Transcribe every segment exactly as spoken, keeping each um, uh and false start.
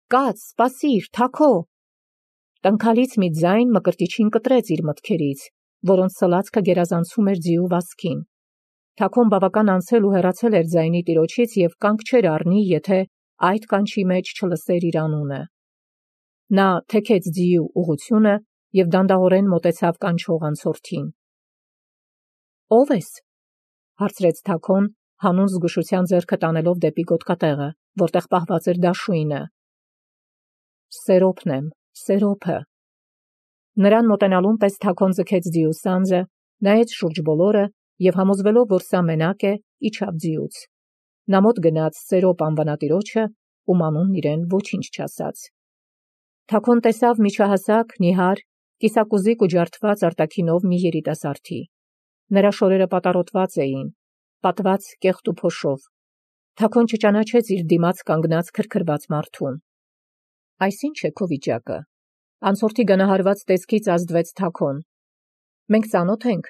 Կաց, սպասիր, թաքո։ Տնքալից մի ձայն մկրտիչին կտրեց իր մտքերից, որոնց սլացքը գերազանցում էր ձիու վազքին։ Թաքոն բավական անցել ու հեռացել էր ձայնի տիրոջից և կանգ չէր առնի, եթե այդ կանչի մեջ չլսեր իր անունը։ Նա թեքեց ձիու ուղղությունը և դանդաղորեն մոտեցավ կանչող անցորդին։ Ո՞վ ես, հարցրեց թաքոն, հանուն զգուշության ձեռքը տանելով դեպի գոտկատեղը, որտեղ պահված էր դաշույնը։ Սերոպն եմ, Սերոպը։ Նրան մոտենալուն պես թաքոն ձգեց ձիու սանձը, նայեց շուրջ բոլորը և համոզվելով, որ սա մենակ է, իջավ ձիուց։ Նա մոտ գնաց Սերոպ անվանատիրոջը, ում անունն իրեն ոչինչ չասաց։ Թաքոն տեսավ միջահասակ, նիհար, կիսակուզիկ ու ջարդված արտաքինով մի երիտասարդի։ Նրա շորերը պատառոտված էին, պատված կեղտ ու փոշով։ Թաքոն չճանաչեց իր դիմաց կանգնած քրքրված մարդուն։ Այս ի՞նչ է քո վիճակը։ Անցորդի գնահարված տեսքից ազդվեց թաքոն։ Մենք ծանոթ ենք,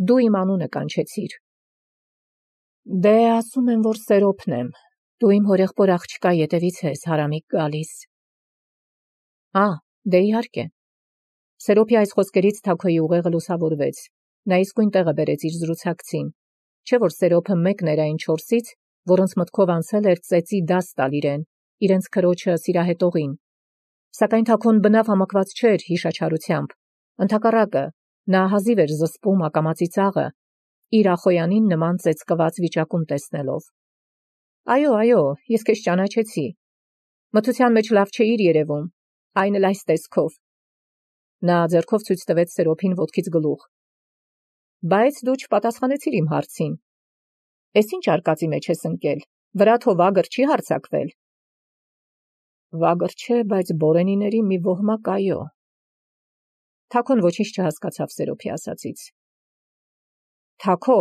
դու իմ անունը կանչեցիր։ Դե ասում եմ, որ Սերոպն եմ, դու իմ հորեղբոր աղջկա ետևից ես հարամիկ գալիս։ Ա, դե իհարկե։ Սերոպի այս խոսքերից թաքոյի ուղեղը լուսավորվեց։ Նա իսկույն տեղը բերեց իր զրուցակցին, չէ՞ որ Սերոպը մեկն էր այն չորսից, որոնց մտքով անցել էր ծեծի դաս տալ իրեն, իրենց քրոջը սիրահետողին։ Սակայն թաքոն բնավ համակված չէր հիշաչարությամբ։ Ընդհակառակը, նա հազիվ էր զսպում ակամածի ծաղը, իր ախոյանին նման ծեծկված վիճակում տեսնելով։ Այո, այո, ես քեզ ճանաչեցի։ Մթության մեջ լավ չէիր երևում, այն էլ այս տեսքով։ Նա ձեռքով ցույց տվեց Սերոպին ոտքից գլուխ։ Բայց դու չպատասխանեցիր իմ հարցին։ Էս ինչ արկածի մեջ ես ընկել, վրաթո վագր չի հարձակվել։ Վագր չէ, բայց բորենիների մի ոհմակ այո։ Թաքոն ոչինչ չհասկացավ Սերոպի ասածից։ Թաքո։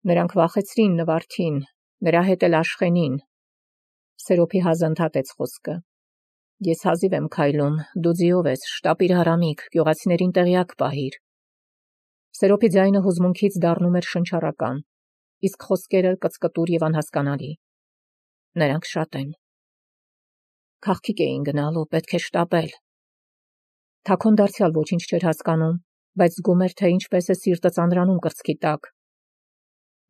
Նրանք վախեցրին Նվարդին, նրա հետ էլ Աշխենին։ Սերոպի հազնդհատեց խոսքը։ Ես հազիվ եմ քայլում, դու ձիով ես, շտապիր հարամիկ, գյուղացիներին տեղյակ պահիր։ Սերոպի ձայնը հուզմունքից դառնում էր շնչառական, իսկ խոսքերը կծկտուր և անհասկանալի։ Նրանք շատ են։ Քաղքիկ էին գնալու, պետք է շտապել։ Թաքոն դարձյալ ոչինչ չէր հասկանում, բայց զգում էր, թե ինչպես է սիրտը ծանրանում կրծքի տակ։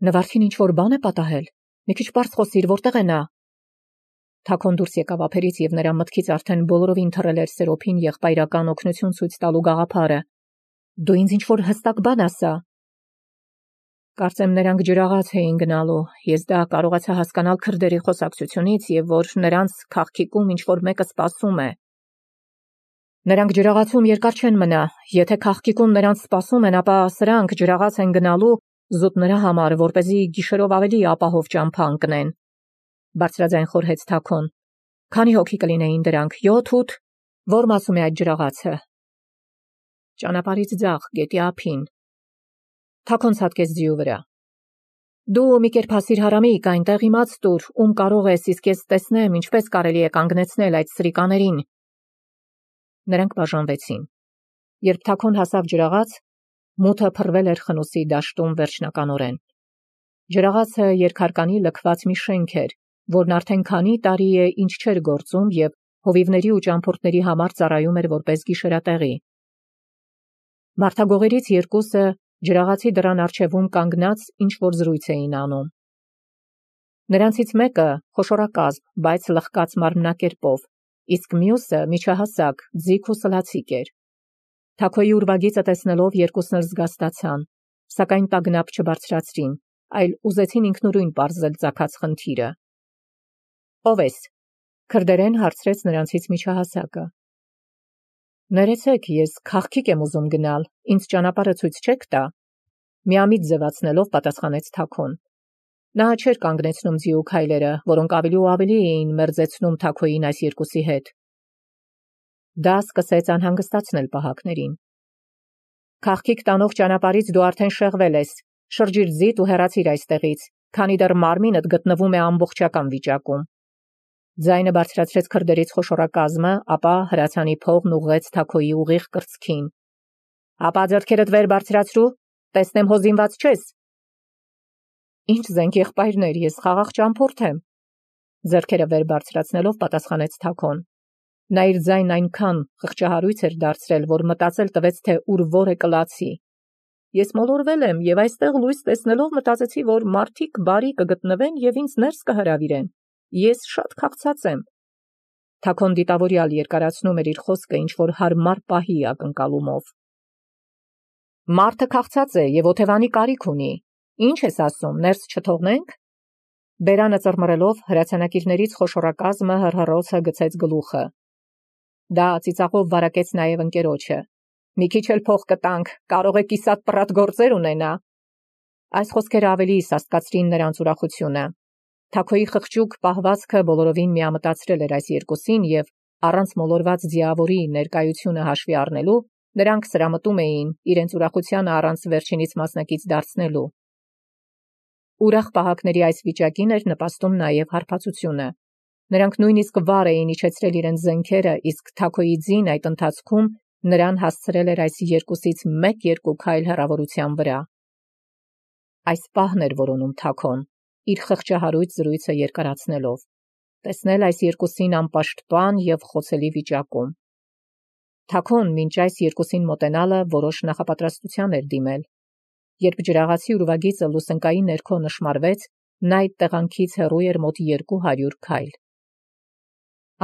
Նվարդին ինչ-որ բան է պատահել։ Մի քիչ պարզ խոսիր, որտեղ է նա։ Թաքոն դուրս եկավ ափերից և նրա մտքից արդեն բոլորովին թռել էր Սերոպին եղբայրական օգնություն ցույց տալու գաղափարը։ Դու ինձ ինչ-որ հստակ բան ասա։ Կարծեմ նրանք ջրաղաց էին գնալու, ես դա կարողացա հասկանալ քրդերի խոսակցությունից և որ նրանց քաղքիկում ինչ-որ մեկը սպասում է։ Նրանք ջրաղացում երկար չեն մնա, եթե քաղքիկում նրանց սպասում են, ապա սրանք ջրաղաց են գնալու զուտ նրա համար, որպեսզի գիշերով ավելի ապահով ճամփա ընկնեն։ Բարձրաձայն խորհեց Թաքոն։ Քանի հոգի կլինեին դրանք, յոթ, ութ, որ մասում է այդ ջրաղացը։ Ճանապարհից ձախ, գետի ափին։ Թաքոն ցատկեց ձիու վրա։ Դու մի կերպ հասիր հարամիկ, այնտեղ իմաց տուր, ում կարող ես, իսկ ես տեսնեմ, ինչպես կարելի է կանգնեցնել այդ սրիկաներին։ Նրանք բաժանվեցին։ Երբ Թաքոն հասավ ջրաղաց, մութը փռվել էր խնուսի դաշտում վերջնականորեն։ Ջրաղացը երկհարկանի լքված մի շենք էր, որն արդեն քանի տարի է ինչ չէր գործում և հովիվների ու ճամփորդների համար ծառայում էր որպես գիշերատեղի։ Մարդագողերից երկուսը ջրաղացի դռան առջևում կանգնած ինչ-որ զրույց էին անում։ Նրանցից մեկը խոշորակազմ, բայց լխկած մարմնակերպով, իսկ մյուսը միջահասակ, ձիգ ու սլացիկ էր։ Թաքոյի ուրվագիծը տեսնելով երկուսն էլ զգաստացան, սակայն տագնապ չբարձրացրին, այլ ուզեցին ինքնուրույն պարզել ծագած խնդիրը։ Ո՞վ ես, քրդերեն հարցրեց նրանցից միջահասակը։ Ներեցեք, ես քաղքիկ եմ ուզում գնալ, ինձ ճանապարհը ցույց չեք տա։ Միամիտ ձևացնելով պատասխանեց Թաքոն։ Նա չէր կանգնեցնում ձիու քայլերը, որոնք ավելի ու ավելի էին մերձեցնում Թաքոյին այս երկուսի հետ։ Դա սկսեց անհանգստացնել պահակներին։ Քաղքիկ տանող ճանապարհից դու արդեն շեղվել ես, շրջիր ձիդ ու հեռացիր այստեղից, քանի դեռ մարմինդ գտնվում է ամբողջական վիճակում։ Ձայնը բարձրացրեց քրդերից խոշորակազմը, ապա հրացանի փողն ուղղեց Թաքոյի ուղիղ կրծքին։ Ապա ձեռքերդ վեր բարձրացրու, տեսնեմ հո զինված չես։ Ինչ զենք եղբայրներ, ես խաղաղ ճամփորդ եմ։ Ձեռքերը վեր բարձրացնելով պատասխանեց Թաքոն։ Նա իր ձայնն այնքան խղճահարույց էր դարձրել, որ մտածել տվեց, թե ուր որ է կլացի։ Ես մոլորվել եմ եւ այստեղ լույս տեսնելով մտածեցի, որ մարդիկ բարի կգտնվեն եւ ինձ ներս կհրավիրեն։ Ես շատ քաղցած եմ։ Թաքոն դիտավորյալ երկարացնում էր իր խոսքը ինչ-որ հարմար պահի ակնկալումով։ Մարդը քաղցած է եւ օթևանի կարիք ունի։ Ինչ ես ասում, ներս չթողնենք։ Բերանը ծռմռելով հրացանակիրներից խոշորակազմը հռհռոցը գցեց գլուխը։ Դա ծիծաղով վարակեց նաեւ ընկերոջը։ Մի քիչ էլ փող կտանք, կարող է կիսատ պռատ գործեր ունենա։ Այս խոսքերը ավելի սաստկացրին նրանց ուրախությունը։ Թաքոյի խղճուկ պահվածքը բոլորովին միամտածրել էր այս երկուսին եւ առանց մոլորված ձիավորի ներկայությունը հաշվի առնելու նրանք սրամտում էին իրենց ուրախությանը առանց վերջինից մասնակից դարձնելու։ Ուրախ պահակների այս վիճակին էր նպաստում նաեւ հարբածությունը։ Նրանք նույնիսկ վառ էին իջեցրել իրենց զենքերը, իսկ Թաքոյի ձին այդ ընթացքում նրան հասցրել էր այս երկուսից մեկ-երկու քայլ հեռավորության վրա։ Այս պահն էր որոնում Թաքոն, իր խղճահարույց զրույցը երկարացնելով, տեսնել այս երկուսին անպաշտպան եւ խոցելի վիճակում։ Թաքոն մինչ այս երկուսին մոտենալը որոշ նախապատրաստության էր դիմել։ Երբ ջրաղացի ուրվագիծը լուսնկայի ներքո նշմարվեց, նա այդ տեղանքից հեռու էր մոտ երկու հարյուր քայլ։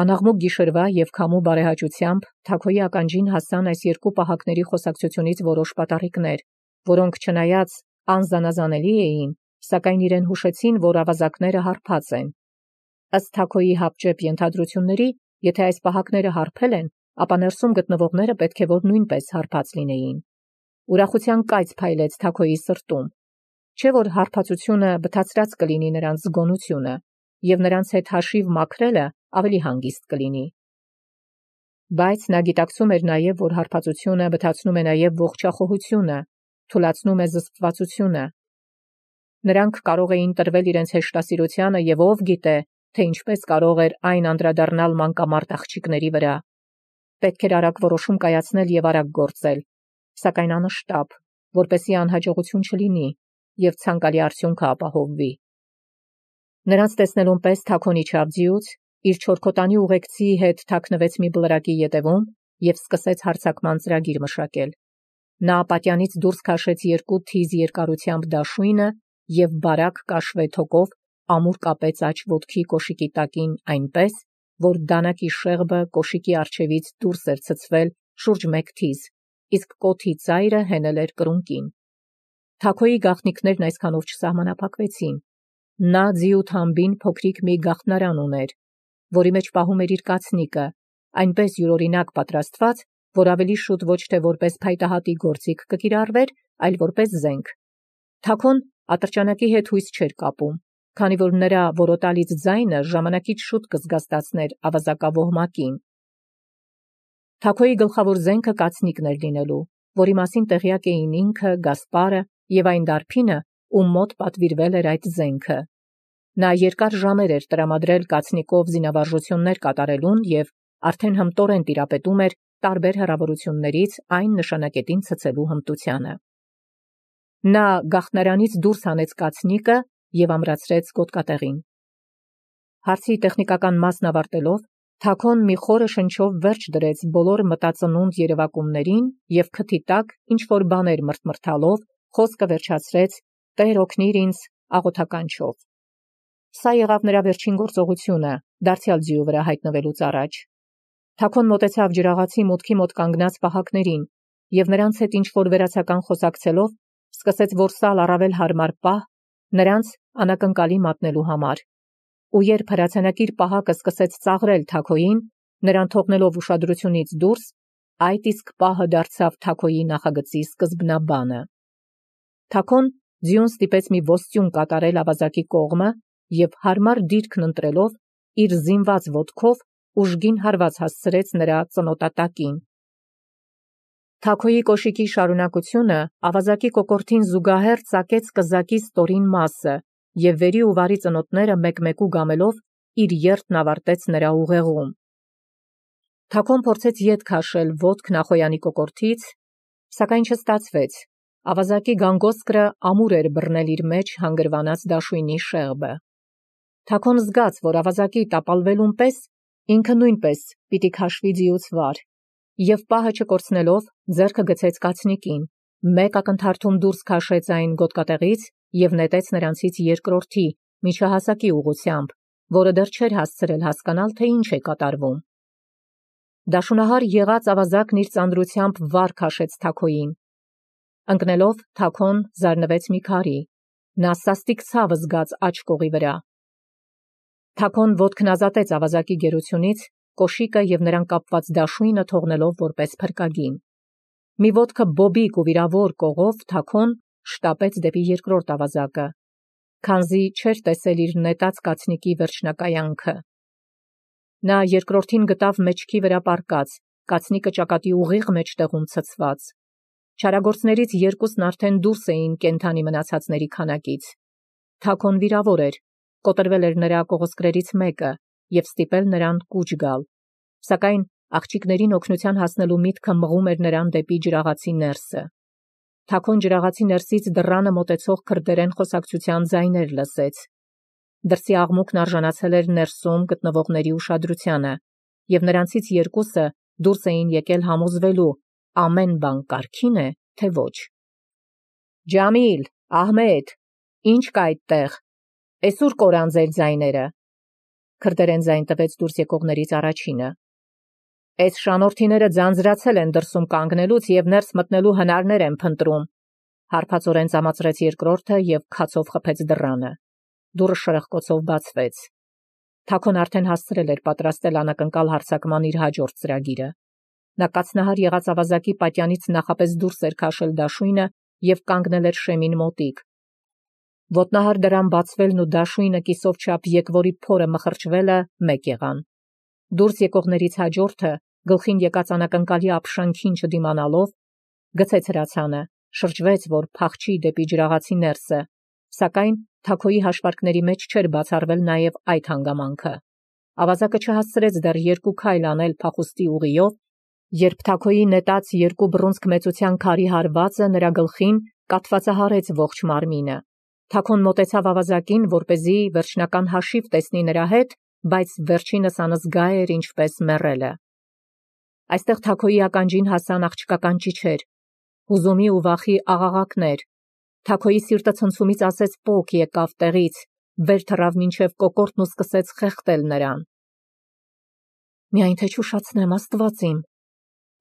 Անաղմուկ գիշերվա եւ քամու բարեհաճությամբ Թաքոյի ականջին հասան այս երկու պահակների խոսակցությունից որոշ պատառիկներ, որոնք չնայած անզանազանելի էին, սակայն իրեն հուշեցին, որ ավազակները հարբած են։ Ըստ Թաքոյի հապճեպ ենթադրությունների, եթե այս պահակները հարբել են, ապա ներսում գտնվողները պետք է որ նույնպես հարբած լինեին։ Ուրախության կայծ փայլեց Թաքոյի սրտում։ Չէ որ հարբածությունը բթացրած կլինի նրանց զգոնությունը, եւ նրանց հետ հաշիվ մաքրելը ավելի հանգիստ կլինի։ Բայց նա գիտակցում էր նաև, որ հարբածությունը բթացնում է նաև ողջախոհությունը, թուլացնում է զսպվածությունը։ Նրանք կարող էին տրվել իրենց հեշտասիրությանը եւ ով գիտե, թե ինչպես կարող էր այն անդրադառնալ մանկամարտ աղջիկների վրա։ Պետք էր արագ որոշում կայացնել եւ արագ գործել, սակայն անշտապ, որպեսզի անհաջողություն չլինի եւ ցանկալի արդյունքը ապահովվի։ Նրանց տեսնելուն պես Թաքոն իջավ ձիուց, իր չորքոտանի ուղեկցի հետ թաքնվեց մի բլրակի ետևում եւ սկսեց հարձակման ծրագիր մշակել։ Նա պատյանից դուրս քաշեց երկու թիզ երկարությամբ դաշույնը եւ բարակ կաշվե թոկով ամուր կապեց աջ ոտքի կոշիկի տակին այնպես, որ դանակի շեղբը կոշիկի առջևից դուրս էր ցցվել շուրջ մեկ թիզ, իսկ կոթի ծայրը հենել էր կրունկին։ Թաքոյի գաղտնիքներն այսքանով չսահմանափակվեցին։ Նա ձիու թամբին փոքրիկ մի գաղտնարան ուներ, որի մեջ պահում էր իր կացնիկը, այնպես յուրօրինակ պատրաստված, որ ավելի շուտ ոչ թե որպես փայտահատի գործիք կկիրառվեր, այլ որպես զենք։ Թաքոն ատրճանակի հետ հույս չէր կապում, քանի որ նրա որոտալից ձայնը ժամանակից շուտ կզգաստացներ ավազակավոհմակին։ Թաքոյի գլխավոր զենքը կացնիկն էր լինելու, որի մասին տեղյակ էին ինքը, Գասպարը եւ այն դարբինը, ում մոտ պատվիրվել էր այդ զենքը։ Նա երկար ժամեր էր տրամադրել կացնիկով զինավարժություններ կատարելուն եւ արդեն հմտորեն տիրապետում էր տարբեր հեռավորություններից այն նշանակետին ցցելու հմտությանը։ Նա գաղտնարանից դուրս հանեց կացնիկը եւ ամրացրեց գոտկատեղին։ Հարցի տեխնիկական մասն ավարտելով, Թաքոն մի խորը շնչով վերջ դրեց բոլոր մտածնունդ երևակումներին եւ քթի տակ ինչ որ բաներ մրթմրթալով խոսքը վերջացրեց. «Տեր օգնիր ինձ» աղոթականչով։ Սա եղավ նրա վերջին գործողությունը, դարձյալ ձիու վրա հայտնվելուց առաջ։ Թաքոն մոտեցավ ջրաղացի մուտքի մոտ կանգնած պահակներին եւ նրանց հետ ինչ որ վերացական խոսակցելով սկսեց որսալ առավել հարմար պահ նրանց անակնկալի մատնելու համար։ Ու երբ հրացանակիր պահակը սկսեց ծաղրել Թաքոյին, նրան թողնելով ուշադրությունից դուրս, այդ իսկ պահը դարձավ Թաքոյի նախագծի սկզբնաբանը։ Թաքոն ձիուն ստիպեց մի ոստյուն կատարել ավազակի կողմը եւ հարմար դիրքն ընտրելով իր զինված ոտքով ուժգին հարված հասցրեց նրա ծնոտատակին։ Թաքոյի կոշիկի շարունակությունը ավազակի կոկորդին զուգահեռ ծակեց կզակի ստորին մասը եւ վերի ու վարի ծնոտները մեկ-մեկու գամելով իր երթն ավարտեց նրա ուղեղում։ Թաքոն փորձեց ետ քաշել ոտք նախոյանի կոկորդից, սակայն չստացվեց։ Ավազակի գանգոսկրը ամուր էր բռնել իր մեջ հանգրվանած դաշույնի շեղբը։ Թաքոն զգաց, որ ավազակի տապալվելուն պես ինքը նույնպես պիտի քաշվի ձիուց վար, եւ պահը չկորցնելով ձեռքը գցեց կացնիկին, մեկ ակնթարթում դուրս քաշեց այն գոտկատեղից եւ նետեց նրանցից երկրորդի միջահասակի ուղությամբ, որը դեռ չէր հասցրել հասկանալ, թե ինչ է կատարվում։ Դաշունահար եղած ավազակն իր ծանրությամբ վար քաշեց Թաքոյին։ Ընկնելով, Թաքոն զարնվեց մի քարի, նա սաստիկ ցավը զգաց աջ կողի վրա։ Թաքոն ոտքն ազատեց ավազակի գերությունից, կոշիկը եւ նրան կապված դաշույնը թողնելով որպես փրկագին։ Մի ոտքը բոբիկ ու վիրավոր կողով Թաքոն շտապեց դեպի երկրորդ ավազակը, քանզի չէր տեսել իր նետած կացնիկի վերջնակայանքը։ Նա երկրորդին գտավ մեջքի վրա պառկած, կացնիկը ճակատի ուղիղ մեջտեղում ցցված։ Չարագործներից երկուսն արդեն դուրս էին կենդանի մնացածների քանակից։ Թաքոն վիրավոր էր, կոտրվել էր նրա կողոսկրերից մեկը եւ ստիպել նրան կուչ գալ, սակայն աղջիկներին օգնության հասնելու միտքը մղում էր նրան դեպի ջրաղացի ներսը։ Թաքոն ջրաղացի ներսից դռանը մոտեցող քրդերեն խոսակցության ձայներ լսեց։ Դրսի աղմուկն արժանացել էր ներսում գտնվողների ուշադրությանը, եւ նրանցից երկուսը դուրս էին եկել համոզվելու, ամեն բան կարգին է, թե ոչ։ Ջամիլ, Ահմեդ, ինչ կա այդտեղ։ Էսուր կորան ձեր ձայները։ Քրդերեն ձայն տվեց դուրս եկողներից առաջինը։ Այս շանորդիները ձանձրացել են դրսում կանգնելուց եւ ներս մտնելու հնարներ են փնտրում։ Հարբածորեն ծամացրեց երկրորդը եւ քացով խփեց դռանը։ Դուռը շրխկոցով բացվեց։ Թաքոն արդեն հասցրել էր պատրաստել անակնկալ հարձակման իր հաջորդ ծրագիրը։ Նա կացնահար եղած ավազակի պատյանից նախապես դուրս էր քաշել դաշույնը եւ կանգնել էր շեմին մոտիկ։ Ոտնահար դրան բացվելն ու դաշույնը կիսով չափ եկվորի փորը մխրճվելը մեկ եղան։ Դուրս եկողներից հաջորդը, գլխին եկած անակնկալի ապշանքին չդիմանալով, գցեց հրացանը, շրջվեց, որ փախչի դեպի ջրաղացի ներսը, սակայն Թաքոյի հաշվարկների մեջ չէր բացառվել նաև այդ հանգամանքը։ Ավազակը չհասցրեց դեռ երկու քայլ անել փախուստի ուղիով, երբ Թաքոյի նետած երկու բռունցք մեծության քարի հարվածը նրա գլխին կաթվածահարեց ողջ մարմինը։ Թաքոն մոտեցավ ավազակին, որպեսզի վերջնական հաշիվ տեսնի նրա հետ, բայց վերջինս անզգա էր ինչպես մեռելը։ Այստեղ Թաքոյի ականջին հասան աղջկական ճիչեր, հուզումի ու վախի աղաղակներ։ Թաքոյի սիրտը ցնցումից ասեց պոկ եկավ տեղից, վեր թռավ մինչև կոկորդն ու սկսեց խեղդել նրան։ Միայն թե չուշացնեմ, Աստված իմ։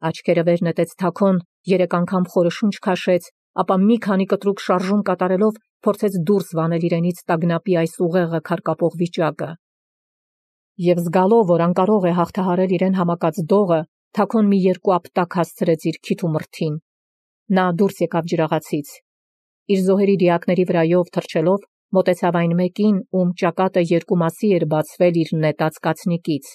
Աչքերը վեր նետեց Թաքոն, երեք անգամ խորը շունչ քաշեց, ապա մի քանի կտրուկ շարժում կատարելով փորձեց դուրս վանել իրենից տագնապի այս ուղեղը քարկապող վիճակը։ Եվ զգալով, որ անկարող է հաղթահարել իրեն համակած դողը, Թաքոն մի երկու ապտակ հասցրեց իր քիթ ու մրթին։ Նա դուրս եկավ ջրաղացից։ Իր զոհերի դիակների վրայով թռչելով մոտեցավ այն մեկին, ում ճակատը երկու մասի էր բացվել իր նետած կացնիկից։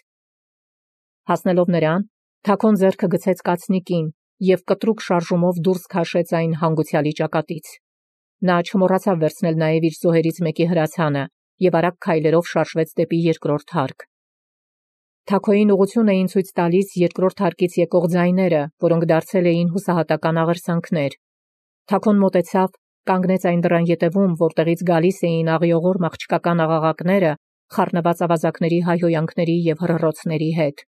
Հասնելով նրան, Թաքոն ձեռքը գցեց կացնիկին եւ կտրուկ շարժումով դուրս քաշեց այն հանգուցյալի ճակատից։ Նա չմոռացավ վերցնել նաեւ իր զոհերից մեկի հրացանը եւ արագ քայլերով շարժվեց դեպի երկրորդ հարկ։ Թաքոյին ուղղություն էին ցույց տալիս երկրորդ հարկից եկող ձայները, որոնք դարձել էին հուսահատական աղերսանքներ։ Թաքոն մոտեցավ, կանգնեց այն դռան ետևում, որտեղից գալիս էին աղիողոր աղջկական աղաղակները, խառնված ավազակների հայհոյանքների եւ հռռոցների հետ։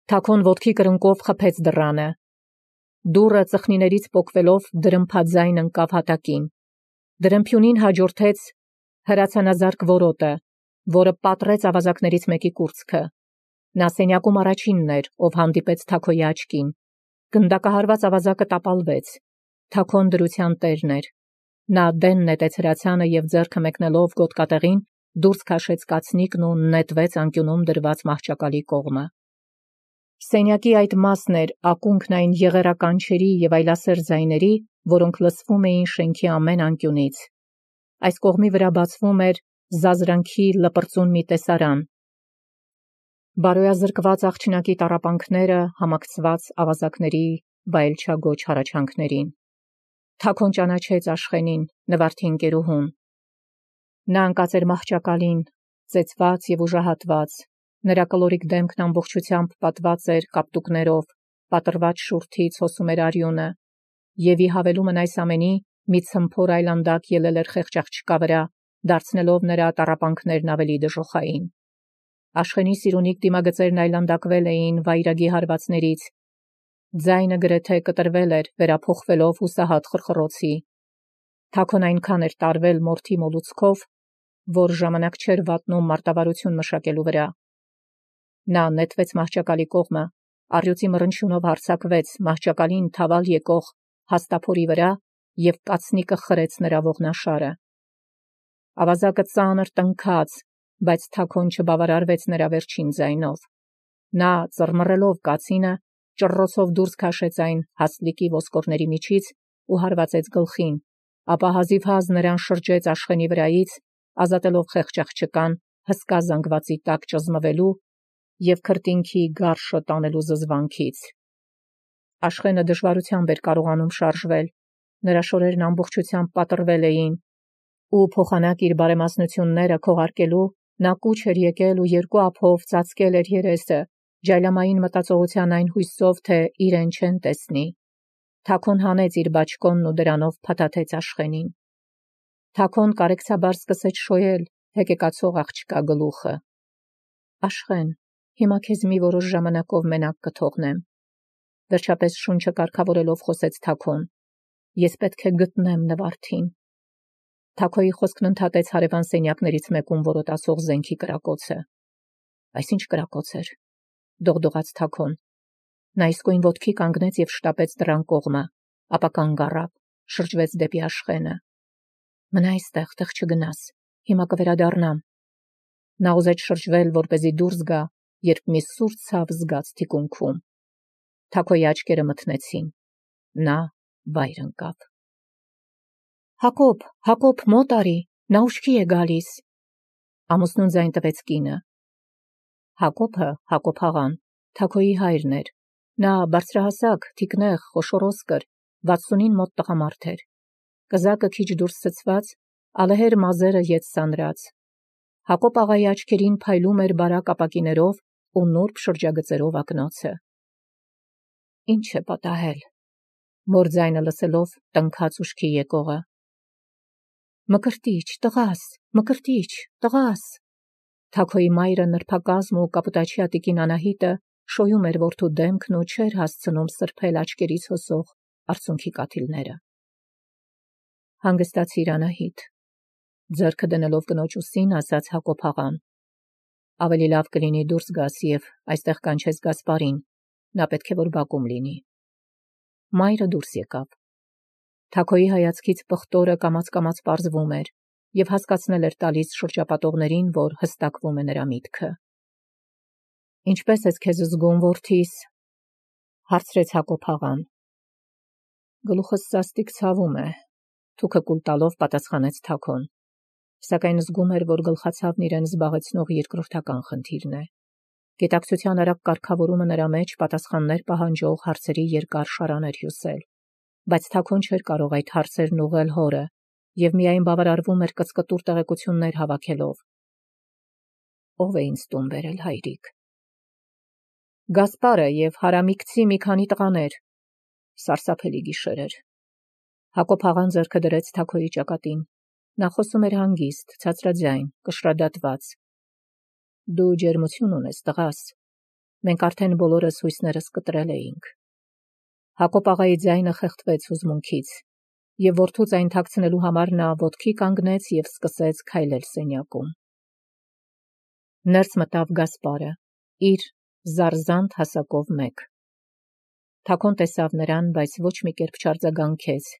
Թաքոն ոտքի կրունկով խփեց դռանը։ Դուռը ծխնիներից պոկվելով դրմփաձայն ընկավ հատակին։ Դրմփյունին հաջորդեց հրացանազարկ որոտը, որը պատռեց ավազակներից մեկի կուրծքը։ Նա սենյակում առաջինն էր, ով հանդիպեց Թաքոյի աչքին։ Գնդակահարված ավազակը տապալվեց։ Թաքոն դրության տերն էր։ Նա դեն նետեց հրացանը եւ ձեռքը մեկնելով գոտկատեղին դուրս քաշեց կացնիկն ու նետվեց անկյունում դրված մահճակալի կողմը։ Սենյակի այդ մասն էր ակունքն այն եղերականչերի եւ այլասեր ձայների, որոնք լսվում էին շենքի ամեն անկյունից։ Այս կողմի վրա բացվում էր զազրանքի լպրծուն մի տեսարան։ Բարոյազրկված աղջնակի տառապանքները համակցված ավազակների վայելչագոչ հառաչանքներին։ Թաքոն ճանաչեց Աշխենին, նվարդի ընկերուհուն։ Նա ընկած էր մահճակալին, ծեծված եւ ուժահատված։ Նրա կլորիկ դեմքն ամբողջությամբ պատված էր կապտուկներով, պատռված շուրթից հոսում էր արյունը, եւ ի հավելումն այս ամենի մի ցմփոր այլանդակ ելել էր խեղճ աղջկա վրա, դարձնելով նրա տառապանքներն ավելի դժոխային։ Աշխենի սիրունիկ դիմագծերն այլանդակվել էին վայրագի հարվածներից, ձայնը գրեթե կտրվել էր, վերափոխվելով հուսահատ խրխռոցի։ Թաքոն այնքան էր տարվել մորթի մոլուցքով, որ ժամանակ չէր վատնում մարտավարություն մշակելու վրա։ Նա նետվեց մահճակալի կողմը, առյուծի մռնչյունով հարձակվեց մահճակալին թավալ եկող հաստափորի վրա և կացնիկը խրեց նրա ողնաշարը։ Ավազակը ծանր տնքաց, բայց Թաքոն չբավարարվեց նրա վերջին ձայնով։ Նա, ծռմռելով կացինը, ճռռոցով դուրս քաշեց այն հաստլիկի ոսկորների միջից ու հարվածեց գլխին, ապա հազիվհազ նրան շրջեց Աշխենի վրայից, ազատելով խեղճ աղջկան հսկա զանգվածի տակ ճզմվելու և քրտինքի գարշը տանելու զզվանքից։ Աշխենը դժվարությամբ էր կարողանում շարժվել, նրա շորերն ամբողջությամբ պատռվել էին, ու փոխանակ իր բարեմասնությունները քողարկելու նա կուչ էր եկել ու երկու ափով ծածկել էր երեսը, ջայլամային մտածողության այն հույսով, թե իրեն չեն տեսնի։ Թաքոն հանեց իր բաճկոնն ու դրանով փաթաթեց Աշխենին։ Թաքոն կարեկցաբար սկսեց շոյել հեկեկացող աղջկա գլուխը։ Աշխեն, հիմա քեզ մի որոշ ժամանակով մենակ կթողնեմ։ Վերջապես շունչը կարգավորելով խոսեց Թաքոն։ Ես պետք է գտնեմ Նվարդին։ Թաքոյի խոսքն ընդհատեց հարևան սենյակներից մեկում որոտացող զենքի կրակոցը։ Այսինչ կրակոց էր, դողդողաց Թաքոն։ Նա իսկույն ոտքի կանգնեց և շտապեց դռան կողմը, ապա կանգ առավ, շրջվեց դեպի Աշխենը։ Մնա այստեղ, տեղ չգնաս, հիմա կվերադառնամ։ Նա ուզեց շրջվել, որպեսզի դուրս գա, երբ մի սուր ցավ զգաց թիկունքում։ Թաքոյի աչքերը մթնեցին։ Նա վայր ընկավ։ Հակոբ, Հակոբ, մոտ արի, նա ուշքի է գալիս։ Ամուսնուն ձայն տվեց կինը։ Հակոբը, Հակոբ աղան, Թաքոյի հայրն էր։ Նա բարձրահասակ, թիկնեղ, խոշորոսկր, վաթսունին մոտ տղամարդ էր։ Կզակը քիչ դուրս ցցված, ալեհեր մազերը ետ սանրած։ Հակոբ աղայի աչքերին փայլում էր բարակ ապակիներով ու նուրբ շրջագծերով ակնոցը։ Ինչ է պատահել։ Մոր ձայնը լսելով տնքաց ուշքի եկողը։ Մկրտիչ, տղաս, մկրտիչ, տղաս։ Թաքոյի մայրը նրբակազմ ու կապուտաչյա տիկին Անահիտը շոյում էր որդու դեմքն ու չէր հասցնում սրբել աչքերից հոսող արցունքի կաթիլները։ Հանգստացիր, Անահիտ, ձեռքը դնելով կնոջ ուսին, ասաց Հակոբ աղան։ Ավելի լավ կլինի դուրս գաս և այստեղ կանչես Գասպարին, նա պետք է որ բակում լինի։ Մայրը դուրս եկավ։ Թաքոյի հայացքից պղտորը կամաց-կամաց պարզվում էր և հասկացնել էր տալիս շրջապատողներին, որ հստակվում է նրա միտքը։ Ինչպե՞ս ես քեզ զգում, որդիս, հարցրեց Հակոբ աղան։ Գլուխս սաստիկ ցավում է, թուքը կուլ տալով պատասխանեց Թաքոն, սակայն զգում էր, որ գլխացավն իրեն զբաղեցնող երկրորդական խնդիրն է։ Գիտակցության արագ կարգավորումը նրա մեջ պատասխաններ պահանջող հարցերի երկար շարան էր հյուսել, բայց Թաքոն չէր կարող այդ հարցերն ուղղել հորը և միայն բավարարվում էր կծկտուր տեղեկություններ հավաքելով։ Ո՞վ է ինձ տուն բերել, հայրիկ։ Գասպարը և հարամիկցի մի քանի տղաներ։ Սարսափելի գիշեր էր։ Հակոբ աղան ձեռքը դրեց Թաքոյի ճակատին։ Նա խոսում էր հանգիստ, ցածրաձայն, կշռադատված։ Դու ջերմություն ունես, տղաս։ Մենք արդեն բոլորս հույսներս կտրել էինք։ Հակոբ աղայի ձայնը խեղդվեց հուզմունքից, և որդուց այն թաքցնելու համար նա ոտքի կանգնեց և սկսեց քայլել սենյակում։ Ներս մտավ Գասպարը, իր զարզանտ հասակով մեկ։ Թաքոն տեսավ նրան, բայց ոչ մի կերպ չարձագանքեց,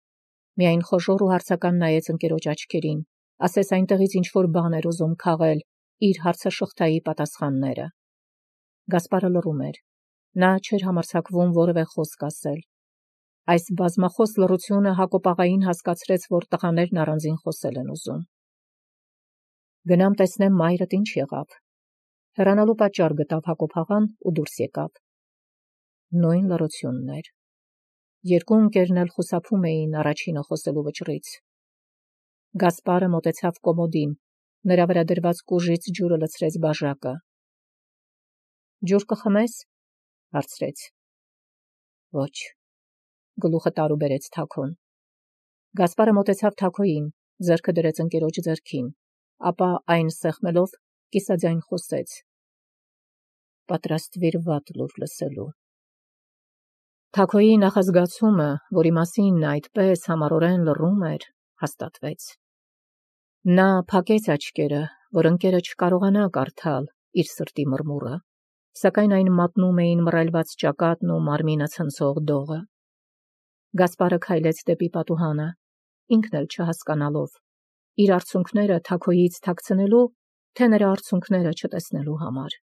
միայն խոժոռ ու հարցական նայեց ընկերոջ աչքերին, ասես այնտեղից ինչ-որ բան էր ուզում քաղել իր հարցաշղթայի պատասխանները։ Գասպարը լռում էր։ Նա չէր համարձակվում որևէ խոսք ասել։ Այս բազմախոս լռությունը Հակոբ աղային հասկացրեց, որ տղաներն առանձին խոսել են ուզում։ Գնամ տեսնեմ մայրդ ինչ եղավ։ Հեռանալու պատճառ գտավ Հակոբ աղան ու դուրս եկավ։ Նույն լռությունն էր։ Երկու ընկերն էլ խուսափում էին առաջինը խոսելու վճռից։ Գասպարը մոտեցավ կոմոդին, նրա վրա դրված կուժից ջուրը լցրեց բաժակը։ Ջուր կխմես, հարցրեց։ Ոչ, գլուխը տարու բերեց Թաքոն։ Գասպարը մոտեցավ Թաքոյին, ձեռքը դրեց ընկերոջ ձեռքին, ապա այն սեղմելով կիսաձայն խոսեց. «Պատրաստվիր վատ լուր լսելու»։ Թաքոյի նախազգացումը, որի մասին նա այդպես համառորեն լռում էր, հաստատվեց։ Նա փակեց աչքերը, որ ընկերը չկարողանա կարդալ իր սրտի մրմուրը, սակայն այն մատնում էին մռայլված ճակատն ու մարմինը ցնցող դողը։ Գասպարը քայլեց դեպի պատուհանը, ինքն էլ չհասկանալով, իր արցունքները Թաքոյից թաքցնելու, թե նրա արցունքները չտեսնելու համար։